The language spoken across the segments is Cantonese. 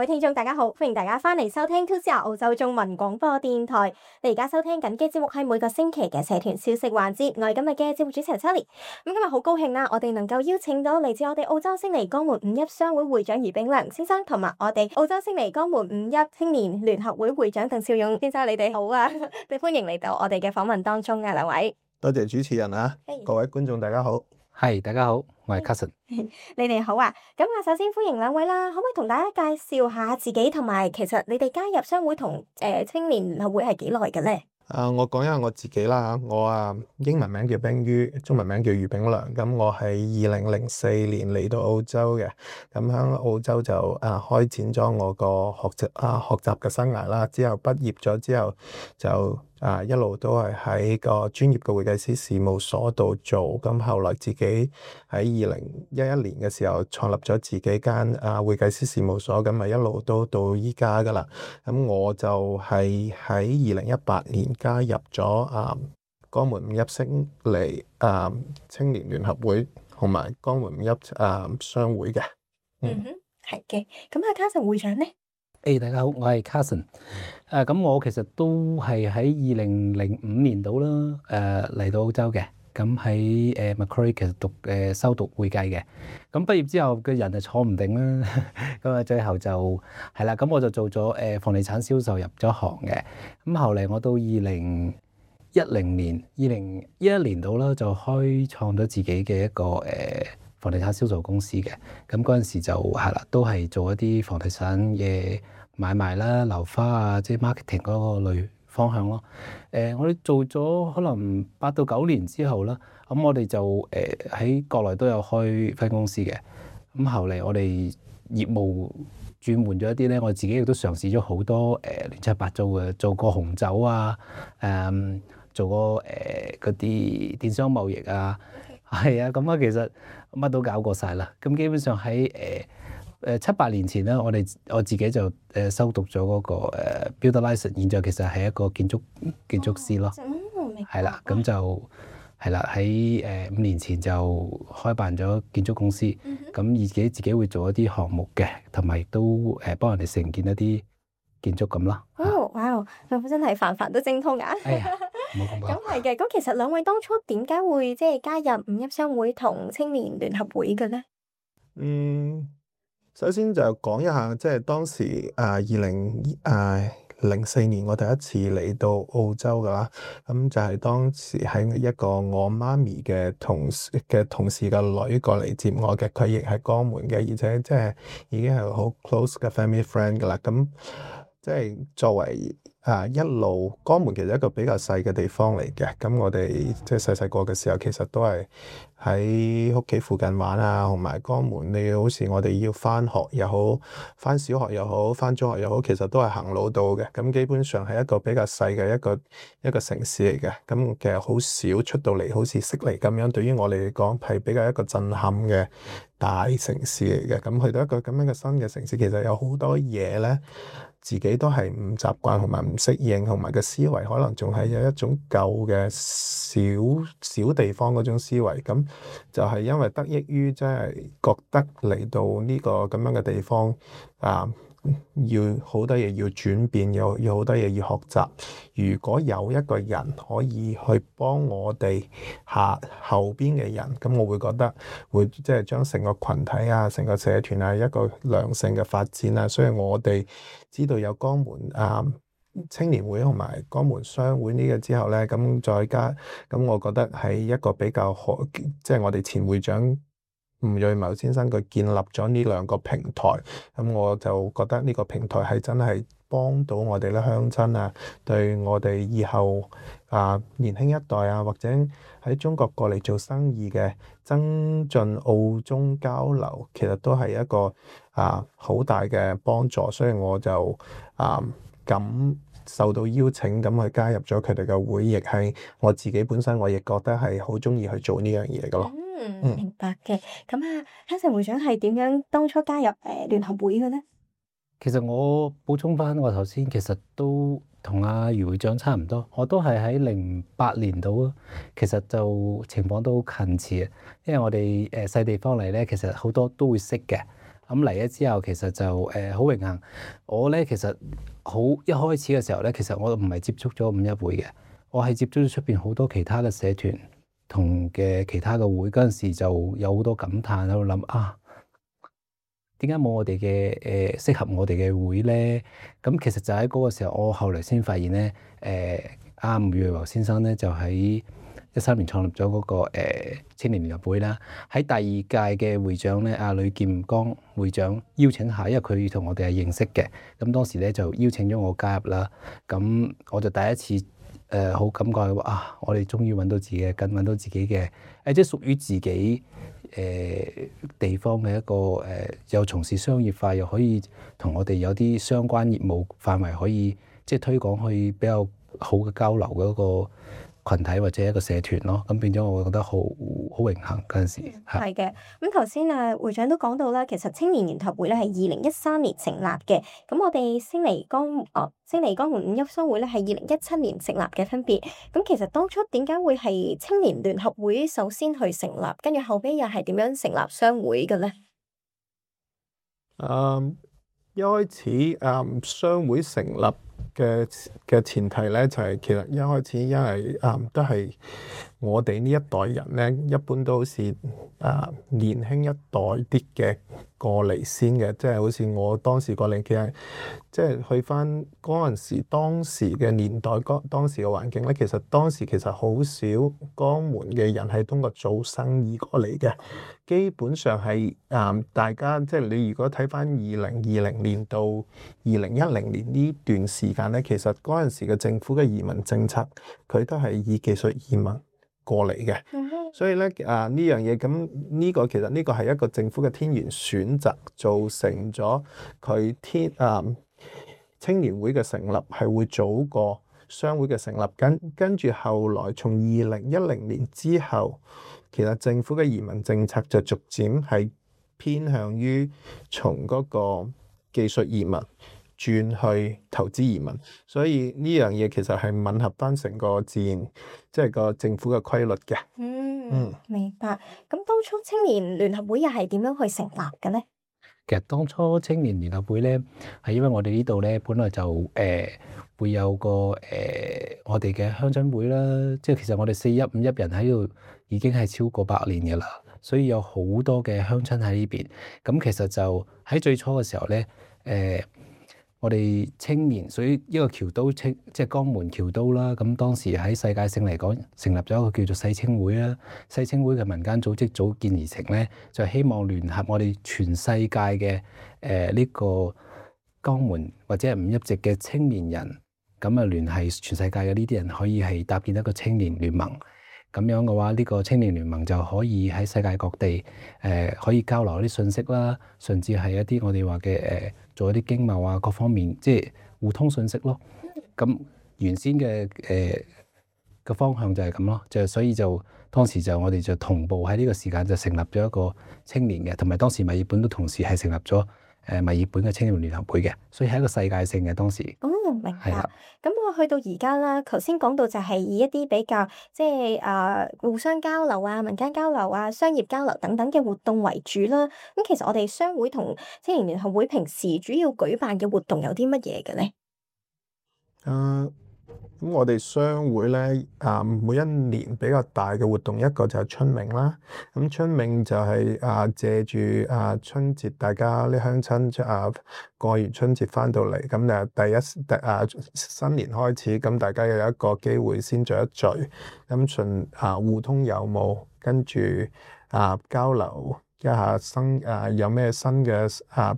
位聽眾大家好，歡迎大家翻嚟收聽 2CR 澳洲中文廣播電台。你而家收聽緊嘅節目係每個星期嘅社團消息環節，我係今日嘅節目主持人 Sally。今日好高興啦，我哋能夠邀請到嚟自我哋澳洲悉尼江門五邑商會會長余炳良先生，同埋我哋澳洲悉尼江門五邑青年聯合會會長鄧兆勇先生，你哋好啊！歡迎嚟到我哋嘅訪問當中啊，兩位。多謝主持人啊，各位觀眾大家好。係，大家好，我係 Carson。你哋好啊！咁啊，首先歡迎兩位啦，可唔可以同大家介紹下自己，同埋其實你哋加入商會同青年聯合會係幾耐嘅咧？我講一下我自己啦，我英文名叫冰於，中文名叫余炳良。咁我係2004年嚟到澳洲嘅，咁喺澳洲就開展咗我個學習嘅生涯啦。之後畢業咗之後就一路都係喺個專業嘅會計師事務所度做。咁後來自己喺2011年嘅時候創立咗自己間會計師事務所，咁咪一路都到依家噶啦。咁我就係喺2018年加入咗江門五邑悉尼青年聯合會同埋江門五邑商會嘅。係嘅。咁Carson會長咧？大家好，我係 Carson。咁我其實都係喺2005年度啦，嚟到澳洲嘅。咁喺Macquarie 其實修讀會計嘅。咁畢業之後嘅人就坐唔定啦，咁最後就係啦。咁我就做咗房地產銷售入咗行嘅。咁後嚟我到2011年度啦，就開創咗自己嘅一個房地產銷售公司嘅。咁嗰陣時就係啦，都係做一啲房地產嘅買賣啦、樓花啊，即係 marketing 嗰個類方向咯。我哋做咗可能8到9年之後啦，咁我哋就喺國內都有開分公司嘅。咁後嚟我哋業務轉換咗一啲咧，我自己亦都嘗試咗好多亂七八糟嘅，做過紅酒啊，做過嗰啲電商貿易啊，係啊，咁其實乜都搞過晒啦。咁基本上喺7、8年前咧，我自己就修讀咗嗰個Builder License，現在其實係一個建築師咯。係啦，咁就係啦，喺5年前就開辦咗建築公司，咁自己會做一啲項目嘅，同埋亦都幫人哋承建一啲建築咁咯。哇！真係凡凡都精通啊！冇咁講。咁係嘅，咁其實兩位當初點解會即係加入五邑商會同青年聯合會嘅咧？首先就講一下，即係當時2004年我第一次嚟到澳洲噶啦，咁就係當時喺一個我媽咪嘅同事嘅女過嚟接我嘅，佢亦係江門嘅，而且即係已經係好 close 嘅 family friend 噶啦。咁即係作為一路江門其實一個比較細嘅地方嚟嘅，咁我哋即係細個嘅時候，其實都係喺屋企附近玩啊，同埋江門你好似我哋要返學又好，返小學又好，返中學又好，其實都係行路到嘅。咁基本上係一個比較細嘅一個城市嚟嘅。咁其實好少出到嚟，好似悉尼咁樣，對於我哋嚟講係比較一個震撼嘅大城市嚟嘅。咁去到一個咁樣嘅新嘅城市，其實有好多嘢咧，自己都係唔習慣同埋唔適應，同埋個思維可能仲係有一種舊嘅小地方嗰種思維。咁就係因為得益於即係覺得嚟到呢個咁樣嘅地方要好多嘢要轉變，要好多嘢要學習。如果有一個人可以去幫我哋後邊嘅人，咁我會覺得會即係將成個群體啊、成個社團啊一個良性嘅發展啊。所以我哋知道有江門青年會同埋江門商會呢個之後咧，咁再加咁，我覺得係一個比較好，即係我哋前會長吳瑞謀先生佢建立咗呢兩個平台，咁我就覺得呢個平台係真係幫到我哋咧鄉親啊，對我哋以後年輕一代啊，或者喺中國過嚟做生意嘅增進澳中交流，其實都係一個好大嘅幫助，所以我就咁受到邀請咁去加入咗佢哋嘅會，亦係我自己本身我亦覺得係好鍾意去做呢樣嘢嘅咯。明白嘅。咁Carson會長係點樣當初加入聯合會嘅咧？其實我補充翻，我頭先其實都同阿余會長差唔多，我都係喺08年度咯。其實就情況都好近似啊，因為我哋細地方嚟咧，其實好多都會識嘅。咁嚟咗之後，其實就好榮幸。我咧其實一開始嘅時候咧，其實我唔係接觸咗五一會嘅，我係接觸咗出邊好多其他嘅社團同嘅其他嘅會。嗰陣時就有好多感嘆喺度諗啊，點解冇我哋嘅適合我哋嘅會咧？咁其實就喺嗰個時候，我後嚟先發現咧，吳宇華先生咧就喺13年創立咗嗰個青年聯合會啦。喺第二屆嘅會長咧，呂劍剛會長邀請下，因為佢同我哋係認識嘅，咁當時咧就邀請咗我加入啦。咁我就第一次好感覺話我哋終於揾到自己嘅根，揾到自己嘅即係屬於自己地方嘅一個又從事商業化，又可以同我哋有啲相關業務範圍可以即係推廣，可以比較好嘅交流嘅一個群體或者一個社團咯。咁變咗我覺得好榮幸嗰陣時。係嘅。咁頭先會長都講到啦，其實青年聯合會咧係2013年成立嘅。咁我哋星尼江門五一商會咧係2017年成立嘅分別。咁其實當初點解會係青年聯合會首先去成立，跟住後尾又係點樣成立商會嘅咧？一開始商會成立嘅前提咧，就係其實一開始因為都係我哋呢一代人咧，一般都好似年輕一代啲嘅過嚟先嘅，即係好似我當時過嚟，其實即係去翻嗰陣時當時嘅年代，當時嘅環境咧，其實當時其實好少江門嘅人係通過做生意過嚟嘅。基本上係大家即係你如果睇翻2020年到2010年呢段時間咧，其實嗰陣時嘅政府嘅移民政策，佢都係以技術移民過嚟嘅。所以咧呢樣嘢咁呢個其實呢個係一個政府嘅天然選擇，造成咗佢青年會嘅成立係會早過商會嘅成立。跟住後來從2010年之後，其實政府嘅移民政策就逐漸係偏向於從嗰個技術移民轉去投資移民，所以呢樣嘢其實係吻合翻成個自然，即係個政府嘅規律嘅。明白。咁當初青年聯合會又係點樣去成立嘅咧？其實當初青年聯合會咧，係因為我哋呢度咧本來就會有個我哋嘅鄉親會啦，即係其實我哋41、51人喺度已經係超過100年嘅啦，所以有好多嘅鄉親喺呢邊。咁其實就喺最初嘅時候咧，我哋青年屬於一個僑都即係江門僑都啦。咁當時喺世界性嚟講，成立咗一個叫做世青會啦。世青會嘅民間組織組建而成咧，就希望聯合我哋全世界嘅呢個江門或者係五一籍嘅青年人，咁啊聯繫全世界嘅呢啲人，可以係搭建一個青年聯盟。咁樣嘅話，呢個青年聯盟就可以喺世界各地可以交流一啲信息啦，甚至係一啲我哋話嘅做一啲經貿啊，各方面即係互通信息咯。咁原先嘅個方向就係咁咯，所以當時我哋就同步喺呢個時間就成立咗一個青年嘅，同埋當時墨爾本都同時係成立咗墨爾本嘅青年聯合會嘅，所以係一個世界性嘅當時。明白。咁我去到而家啦，頭先講到就係以一啲比較即係互相交流啊、民間交流啊、商業交流等等嘅活動為主啦。咁其實我哋商會同青年聯合會平時主要舉辦嘅活動有啲乜嘢嘅咧？咁我哋商會咧，每一年比較大嘅活動一個就係春茗啦。咁春茗就係借住春節，大家啲鄉親過完春節翻到嚟，咁就新年開始，咁大家有一個機會先聚一聚，咁互通有無，跟住交流一下有咩新嘅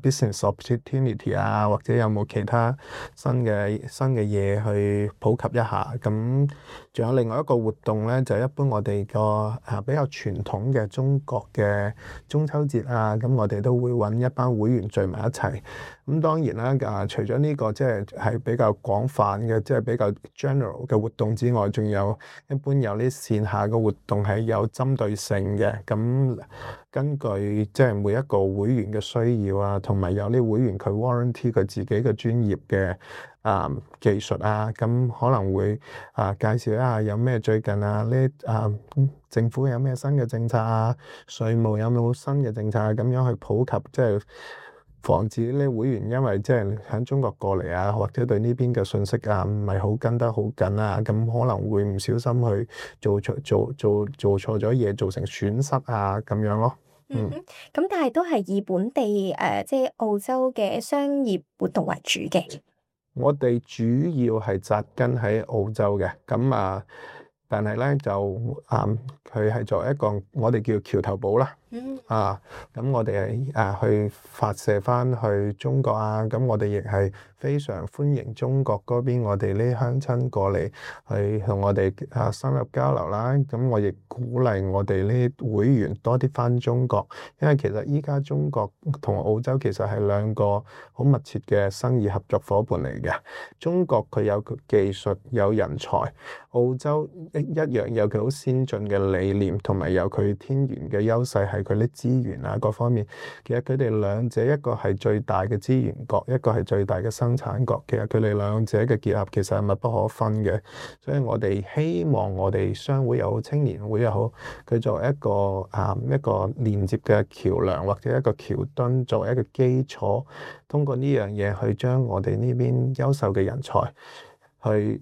business opportunity 或者有冇其他新嘅嘢去普及一下。咁仲有另外一個活動咧，就一般我哋個比較傳統嘅中國嘅中秋節咁我哋都會揾一班會員聚埋一齊。咁當然啦，除咗呢個即係比較廣泛嘅，即係比較 general 嘅活動之外，仲有一般有啲線下嘅活動係有針對性嘅。咁根據即係每一個會員嘅需要同埋有啲會員佢 warranty 佢自己嘅專業嘅技術咁可能會介紹一下有咩最近政府有咩新嘅政策稅務有冇新嘅政策咁樣去普及，即係防止呢會員因為即係喺中國過嚟啊，或者對呢邊嘅信息啊唔係好跟得好緊啊，咁可能會唔小心去做錯咗嘢，造成損失啊咁樣咯。咁但係都係以本地即係澳洲嘅商業活動為主嘅。我哋主要係紮根喺澳洲嘅，咁啊，但係咧就佢係作為一個我哋叫橋頭堡啦。咁我哋係去發射翻去中國啊，咁我哋亦係非常歡迎中國嗰邊我哋呢鄉親過嚟去同我哋深入交流啦。咁我亦鼓勵我哋呢會員多啲翻中國，因為其實依家中國同澳洲其實係兩個好密切嘅生意合作伙伴嚟嘅。中國佢有技術有人才，澳洲一樣有佢好先進嘅理念，同埋有佢天然嘅優勢係佢啲資源啊各方面。其實佢哋兩者一個係最大嘅資源國，一個係最大嘅生產國。其實佢哋兩者嘅結合其實係密不可分嘅。所以我哋希望我哋商會又好，青年會又好，佢作為一個連接嘅橋樑或者一個橋墩，作為一個基礎，通過呢樣嘢去將我哋呢邊優秀嘅人才去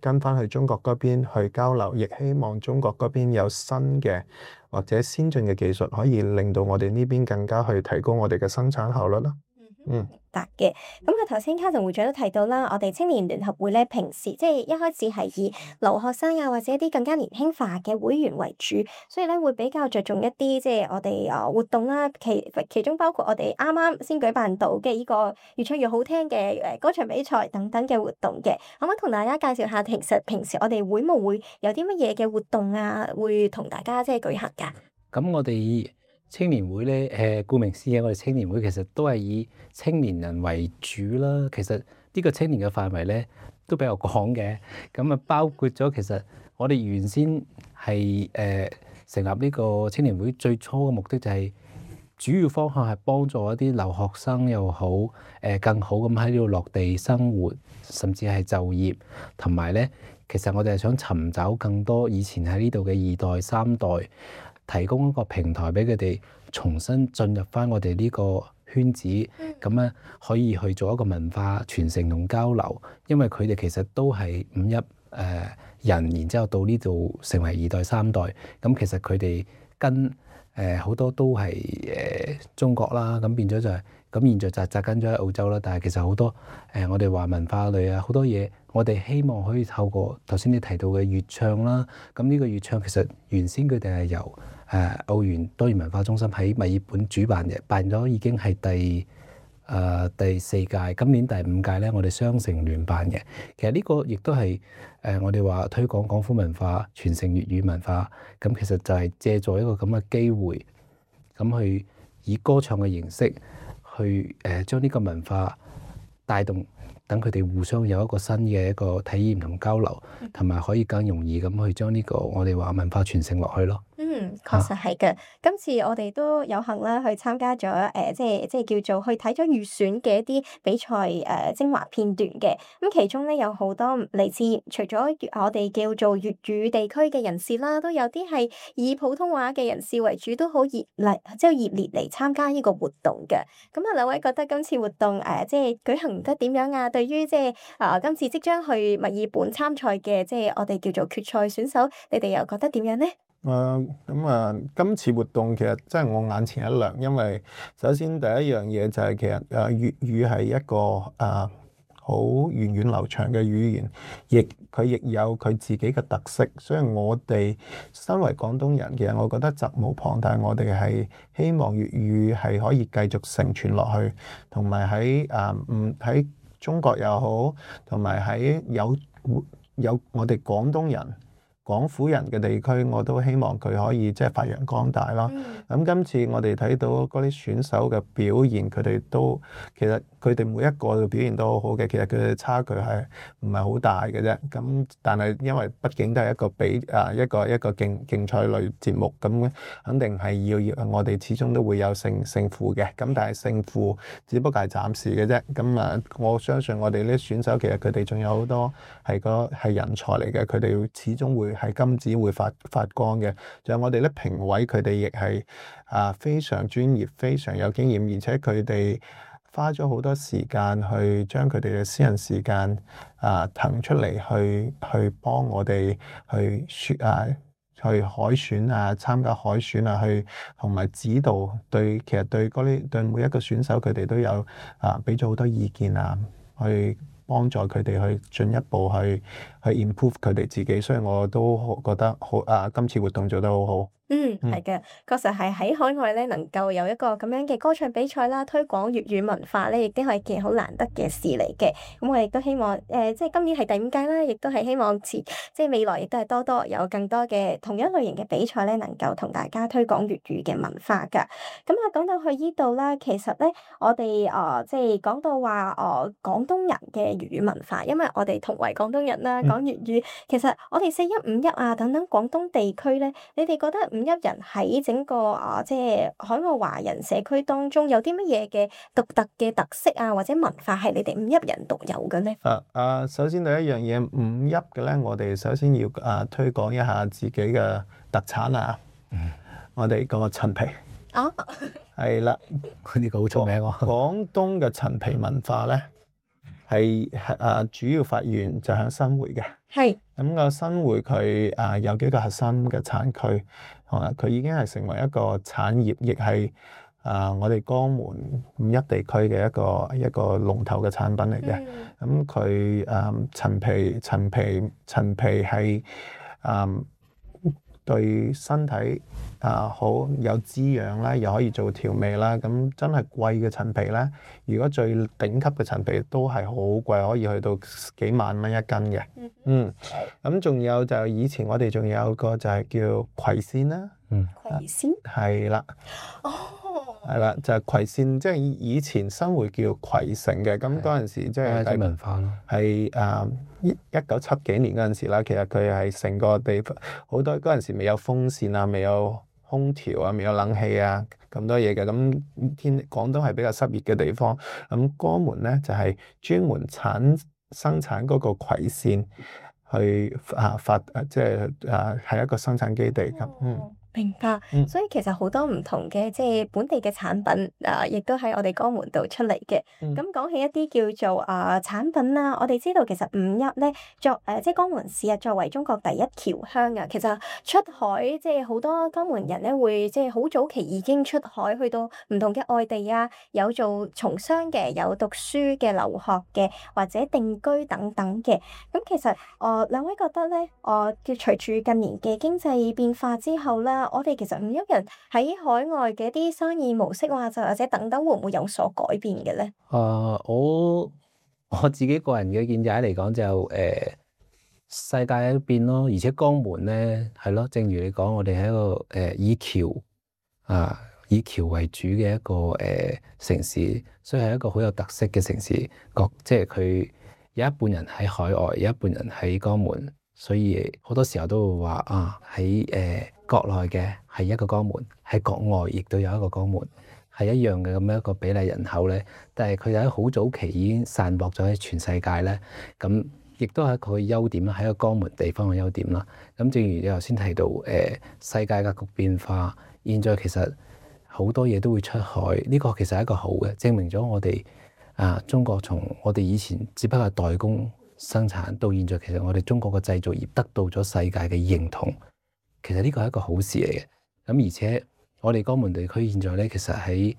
跟翻去中國嗰邊去交流，亦希望中國嗰邊有新嘅或者先進嘅技術，可以令到我哋呢邊更加去提高我哋嘅生產效率啦。明白嘅。咁啊，頭先卡頓會長都提到啦，我哋青年聯合會咧，平時即係一開始係以留學生啊，或者一啲更加年輕化嘅會員為主，所以咧會比較着重一啲即係我哋活動啦。其中包括我哋啱啱先舉辦到嘅呢個越唱越好聽嘅歌唱比賽等等嘅活動嘅。可唔可以同大家介紹下，其實平時我哋會務會有啲乜嘢嘅活動啊，會同大家即係舉行㗎？咁我哋青年會咧，顧名思義，我哋青年會其實都係以青年人為主啦。其實呢個青年嘅範圍咧都比較廣嘅，咁啊包括咗其實我哋原先係成立呢個青年會最初嘅目的就係主要方向係幫助一啲留學生又好，更好咁喺呢度落地生活，甚至係就業，同埋咧其實我哋係想尋找更多以前喺呢度嘅二代三代，提供一個平台俾佢哋重新進入翻我哋呢個圈子，咁咧可以去做一個文化傳承同交流。因為佢哋其實都係五一人，然之後到呢度成為二代三代。咁其實佢哋跟好多都係中國啦，咁變咗就係咁。現在就紮根咗喺澳洲啦，但係其實好多我哋話文化類啊，好多嘢我哋希望可以透過頭先你提到嘅粵唱啦。咁呢個粵唱其實原先佢哋係由澳元多元文化中心喺墨爾本主辦嘅，辦咗已經係第四屆，今年第五屆咧，我哋雙城聯辦嘅。其實呢個亦都係我哋話推廣廣府文化、傳承粵語文化，咁其實就係借助一個咁嘅機會，咁去以歌唱嘅形式去將呢個文化帶動，等佢哋互相有一個新嘅一個體驗同交流，同埋可以更容易咁去將呢個我哋話文化傳承落去咯。確實係嘅。今次我哋都有幸啦，去參加咗即係叫做去睇咗預選嘅一啲比賽精華片段嘅。咁其中咧有好多嚟自除咗我哋叫做粵語地區嘅人士啦，都有啲係以普通話嘅人士為主，都好熱烈嚟參加呢個活動嘅。咁啊，兩位覺得今次活動即係舉行得點樣啊？對於即係今次即將去墨爾本參賽嘅即係我哋叫做決賽選手，你哋又覺得點樣咧？今次活動其實真係我眼前一亮，因為首先第一樣嘢就係其實粵語係一個好源遠流長嘅語言，佢亦有佢自己嘅特色，所以我哋身為廣東人，其實我覺得責無旁貸，我哋係希望粵語係可以繼續承傳落去，同埋喺中國又好，同埋喺有我哋廣東人、廣府人嘅地區，我都希望佢可以即係發揚光大啦。咁今次我哋睇到嗰啲選手嘅表現，其實佢哋每一個嘅表現都好好嘅，其實佢哋差距係唔係好大嘅啫。咁但係因為畢竟都係一個競賽類節目，咁肯定係要我哋始終都會有勝負嘅。咁但係勝負只不過係暫時嘅啫。咁我相信我哋呢啲選手其實佢哋仲有好多係人才嚟嘅，佢哋始終會係金子會發光嘅。仲有我哋咧評委佢哋亦係非常專業、非常有經驗，而且佢哋花咗好多時間去將佢哋嘅私人時間騰出嚟去幫我哋去海選參加海選去同埋指導其實對每一個選手佢哋都有俾咗好多意見去幫助佢哋去進一步去 improve 佢哋自己，所以我都覺得好今次活動做得好好。係嘅，確實係喺海外咧，能夠有一個咁樣嘅歌唱比賽啦，推廣粵語文化咧，亦都係件好難得嘅事嚟嘅。咁我亦都希望即係今年係第5屆啦，亦都係希望即係未來亦都係多有更多嘅同樣類型嘅比賽咧，能夠同大家推廣粵語嘅文化㗎。咁講到去呢度啦，其實咧我哋即係講到話廣東人嘅粵語文化，因為我哋同為廣東人啦，講粵語，其實我哋4·1、5·1等等廣東地區咧，你哋覺得5·1人喺整個即係海外華人社區當中有啲乜嘢嘅獨特嘅特色或者文化係你哋5·1人獨有嘅咧？首先第一樣嘢5·1嘅咧，我哋首先要推廣一下自己嘅特產我哋個陳皮。係啦，呢個好出名喎。廣東嘅陳皮文化咧，係主要發源就喺新會嘅。係。咁個新會佢有幾個核心嘅產區，佢已經係成為一個產業，亦係我哋江門5·1地區嘅一個龍頭嘅產品嚟嘅。咁佢陳皮係對身體好有滋養啦，又可以做調味啦。咁真係貴嘅陳皮咧，如果最頂級嘅陳皮都係好貴，可以去到幾萬蚊一斤嘅。咁仲有就以前我哋仲有個就係叫葵扇啦。葵扇係啦。係啦，就係葵扇，即係以前新會叫葵城嘅。咁嗰陣時即係文化咯。係1970幾年嗰陣時啦，其實佢係成個地方好多嗰陣時未有風扇未有空調未有冷氣咁多嘢嘅。咁廣東係比較濕熱嘅地方，咁江門咧就係專門生產嗰個葵扇去即係一個生產基地咁。明白，所以其實好多唔同嘅即係本地嘅產品亦都喺我哋江門度出嚟嘅。咁講起一啲叫做產品啦，我哋知道其實5·1咧即係江門市作為中國第一僑鄉其實出海即係好多江門人咧會即係好早期已經出海去到唔同嘅外地有做從商嘅，有讀書嘅、留學嘅或者定居等等嘅。咁其實兩位覺得咧隨住近年嘅經濟變化之後啦，我哋其實5·1人喺海外嘅一啲生意模式或者等等，會唔會有所改變嘅咧？我自己個人嘅見解嚟講就世界喺變咯，而且江門咧係咯，正如你講，我哋係一個以僑為主嘅一個城市，所以係一個好有特色嘅城市。即係佢有一半人喺海外，有一半人喺江門。所以好多時候都會話喺國內嘅係一個江門，喺國外亦都有一個江門，係一樣嘅咁樣一個比例人口咧。但係佢喺好早期已經散播咗喺全世界咧，咁亦都係一個優點啦，喺個江門地方嘅優點啦。咁正如你頭先提到世界格局變化，現在其實好多嘢都會出海，呢個其實係一個好嘅，證明咗我哋中國從我哋以前只不過係代工生產到現在，其實我哋中國嘅製造業得到咗世界嘅認同，其實呢個係一個好事嚟嘅。咁而且我哋江門地區現在咧，其實喺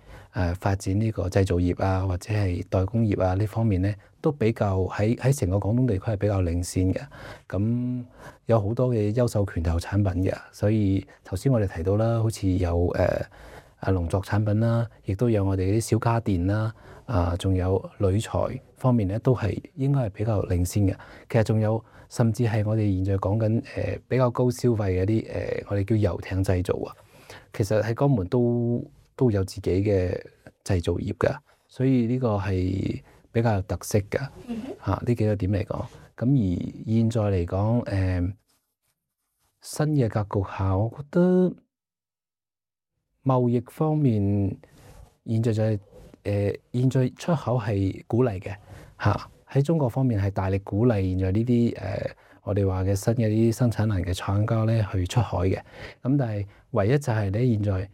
發展呢個製造業或者係代工業呢方面咧，都比較喺成個廣東地區係比較領先嘅。咁有好多嘅優秀拳頭產品嘅，所以頭先我哋提到啦，好似有農作產品啦，亦都有我哋啲小家電啦。仲有鋁材方面咧，都係應該係比較領先嘅。其實仲有甚至係我哋現在講緊比較高消費嘅啲我哋叫遊艇製造其實喺江門都有自己嘅製造業㗎，所以呢個係比較有特色㗎。呢幾個點嚟講，咁而現在嚟講新嘅格局下，我覺得貿易方面現在就係現在出口係鼓勵嘅喺中國方面係大力鼓勵現在呢啲我哋話嘅新嘅啲生產能嘅廠家咧去出海嘅。咁但係唯一就係咧，現在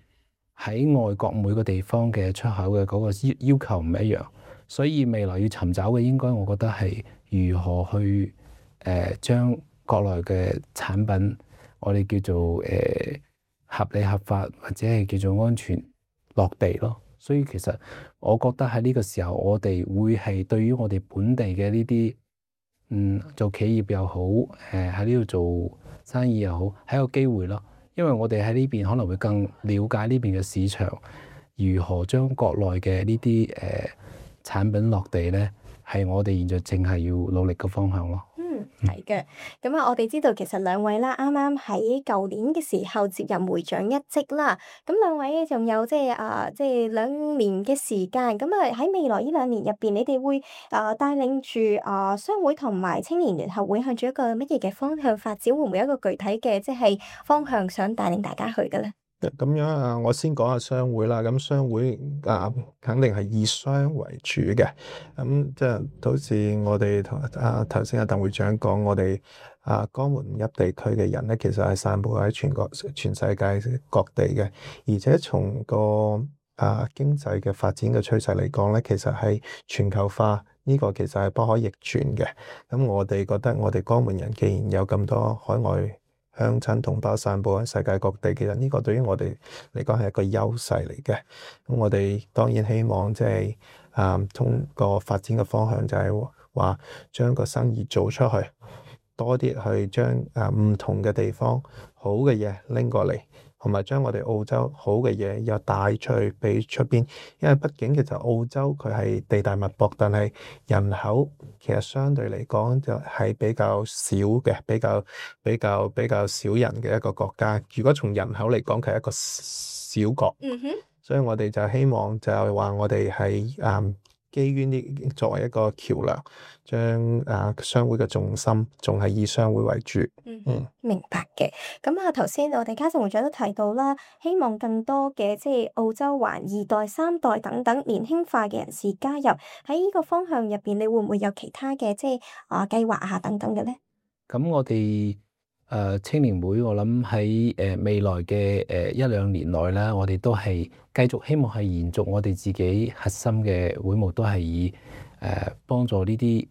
喺外國每個地方嘅出口嘅嗰個要求唔一樣，所以未來要尋找嘅應該我覺得係如何去將國內嘅產品，我哋叫做合理合法或者係叫做安全落地咯。所以其實我覺得喺呢個時候，我哋會係對於我哋本地嘅呢啲做企業又好，喺呢度做生意又好，係一個機會咯。因為我哋喺呢邊可能會更了解呢邊嘅市場，如何將國內嘅呢啲產品落地咧，係我哋現在淨係要努力嘅方向咯。係嘅，咁啊，我哋知道其實兩位啦，啱啱喺舊年嘅時候接任會長一職啦。咁兩位仲有即係2年嘅時間。咁啊喺未來呢2年入邊，你哋會帶領住商會同埋青年聯合會向住一個乜嘢嘅方向發展？會唔會有一個具體嘅即係方向想帶領大家去嘅咧？咁樣啊，我先講下商會啦。咁商會肯定係以商為主嘅。咁即係好似我哋頭先鄧會長講，我哋江門五邑地區嘅人咧，其實係散佈喺全世界各地嘅。而且從個經濟嘅發展嘅趨勢嚟講咧，其實係全球化呢個其實係不可逆轉嘅。咁我哋覺得我哋江門人既然有咁多海外鄉親同胞散佈喺世界各地，其實呢個對於我哋嚟講係一個優勢嚟嘅。咁我哋當然希望即係通過發展嘅方向就係話將個生意做出去，多啲去將唔同嘅地方好嘅嘢拎過嚟，同埋將我哋澳洲好嘅嘢又帶出去俾出邊。因為畢竟其實澳洲佢係地大物博，但係人口其實相對嚟講就係比較少嘅，比較少人嘅一個國家。如果從人口嚟講，佢係一個小國。所以我哋就希望就係話我哋係基於呢作為一個橋梁，將商會嘅重心仲係以商會為主。明白嘅。咁啊，頭先我哋嘉盛會長都提到啦，希望更多嘅即係澳洲華2代、3代等等年輕化嘅人士加入喺呢個方向入邊，你會唔會有其他嘅即係計劃啊等等嘅咧？咁我哋青年會，我諗喺未來嘅1-2年內啦，我哋都係繼續希望係延續我哋自己核心嘅會務，都係以幫助呢啲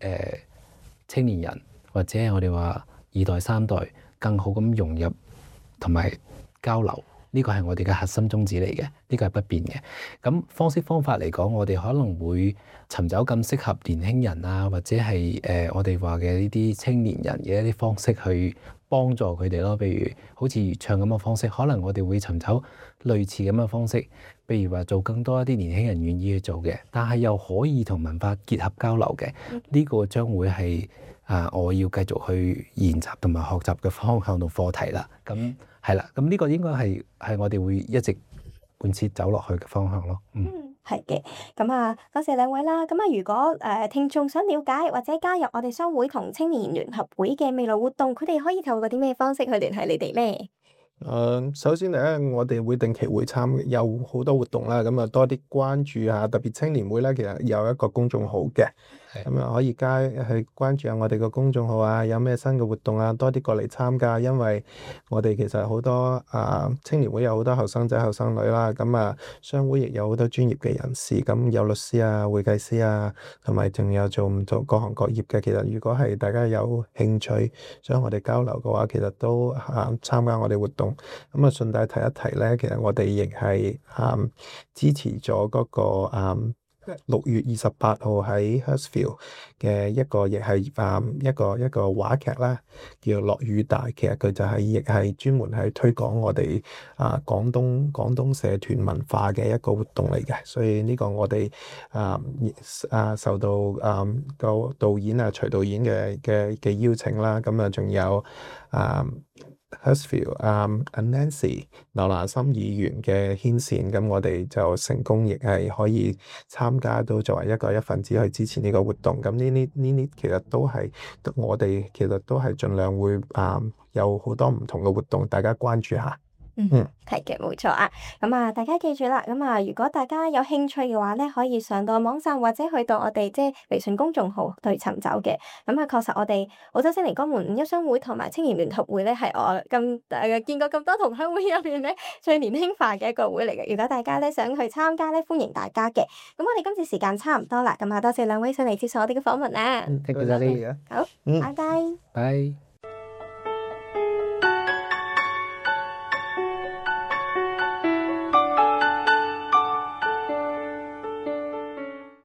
青年人或者係我哋話2代、3代更好咁融入同埋交流。呢個係我哋嘅核心宗旨嚟嘅，呢個係不變嘅。咁方式方法嚟講，我哋可能會尋找更適合年輕人啊，或者係我哋話嘅呢啲青年人嘅一啲方式去幫助佢哋咯。譬如好似粵唱咁嘅方式，可能我哋會尋找類似咁嘅方式，譬如話做更多一啲年輕人願意去做嘅，但係又可以同文化結合交流嘅。呢個將會係我要繼續去研習同埋學習嘅方向同課題啦。咁係啦，咁呢個應該係我哋會一直貫徹走落去嘅方向咯。係嘅。咁啊，多謝兩位啦。咁啊，如果聽眾想了解或者加入我哋商會同青年聯合會嘅未來活動，佢哋可以透過啲咩方式去聯繫你哋咧？首先嚟我哋會定期會有好多活動啦，咁多啲關注下，特別青年會咧，其實有一個公眾號嘅，咁可以去關注下我哋個公眾號啊，有咩新嘅活動啊，多啲過嚟參加，因為我哋其實好多青年會有好多後生仔後生女啦，咁商會亦有好多專業嘅人士，咁有律師啊、會計師啊，同埋仲有做唔做各行各業嘅。其實如果係大家有興趣想我哋交流嘅話，其實都參加我哋活動。咁順帶提一提咧，其實我哋亦係支持咗嗰個6月28號喺 Hurstville 嘅一個亦係一個話劇啦，叫落雨大。其實佢就係亦係專門係推廣我哋廣東社團文化嘅一個活動嚟嘅。所以呢個我哋受到個導演徐導演嘅邀請啦，咁仲有Hurstville Nancy 劉蘭心議員嘅牽線，咁我哋就成功亦係可以參加到作為一份子去支持呢個活動。咁呢啲其實都係我哋其實都係盡量會有好多唔同嘅活動，大家關注下。係嘅，冇錯啊。咁啊，大家記住啦。咁啊，如果大家有興趣嘅話咧，可以上到網站或者去到我哋即係微信公眾號去尋找嘅。咁啊，確實我哋澳洲悉尼江門五一商會同埋青年聯合會咧，係我見過咁多同鄉會入邊咧最年輕化嘅一個會嚟嘅。如果大家咧想去參加咧，歡迎大家嘅。咁我哋今次時間差唔多啦，咁啊，多謝兩位上嚟接受我哋嘅訪問啦。多謝你。好，拜拜。拜。